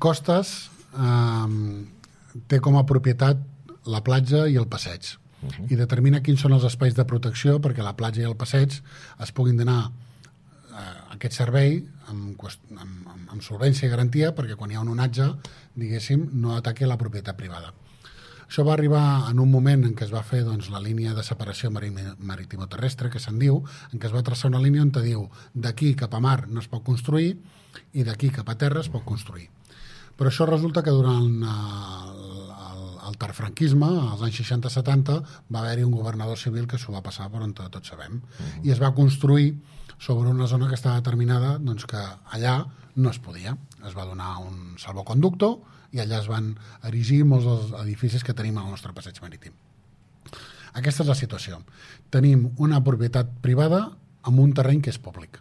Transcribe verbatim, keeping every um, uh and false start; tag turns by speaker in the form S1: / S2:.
S1: Costes eh, té com a propietat la platja i el passeig. Uh-huh. I determina quins són els espais de protecció perquè la platja i el passeig es puguin donar eh, aquest servei amb, amb, amb, amb solvència i garantia perquè quan hi ha un onatge, diguéssim, no ataqui la propietat privada. Això va arribar en un moment en què es va fer doncs, la línia de separació maritimoterrestre, que se'n diu, en què es va traçar una línia on te diu d'aquí cap a mar no es pot construir i d'aquí cap a terra es pot construir. Però això resulta que durant el, el, el tarfranquisme, als anys seixanta setanta, va haver-hi un governador civil que s'ho va passar per on tots sabem. Uh-huh. I es va construir sobre una zona que estava determinada doncs, que allà no es podia. Es va donar un salvoconducto i allà es van erigir molts dels edificis que tenim al nostre passeig marítim. Aquesta és la situació. Tenim una propietat privada amb un terreny que és públic.